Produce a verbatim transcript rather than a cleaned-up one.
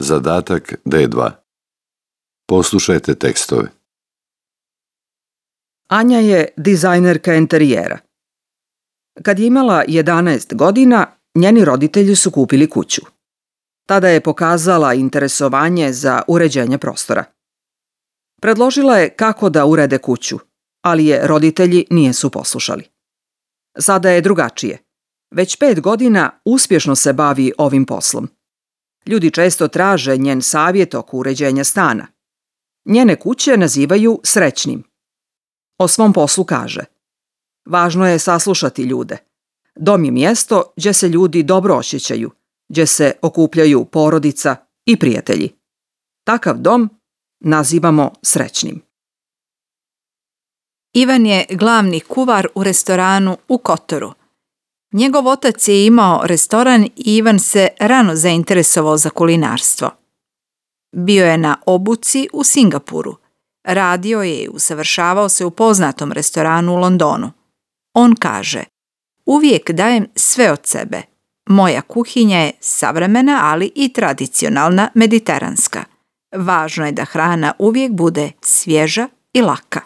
Zadatak D dva. Poslušajte tekstove. Anja je dizajnerka enterijera. Kad je imala jedanaest godina, njeni roditelji su kupili kuću. Tada je pokazala interesovanje za uređenje prostora. Predložila je kako da urede kuću, ali je roditelji nisu poslušali. Sada je drugačije. Već pet godina uspješno se bavi ovim poslom. Ljudi često traže njen savjet oko uređenja stana. Njene kuće nazivaju srećnim. O svom poslu kaže: važno je saslušati ljude. Dom je mjesto gdje se ljudi dobro osjećaju, gdje se okupljaju porodica i prijatelji. Takav dom nazivamo srećnim. Ivan je glavni kuvar u restoranu u Kotoru. Njegov otac je imao restoran i Ivan se rano zainteresovao za kulinarstvo. Bio je na obuci u Singapuru. Radio je i usavršavao se u poznatom restoranu u Londonu. On kaže: uvijek dajem sve od sebe. Moja kuhinja je savremena, ali i tradicionalna mediteranska. Važno je da hrana uvijek bude svježa i laka.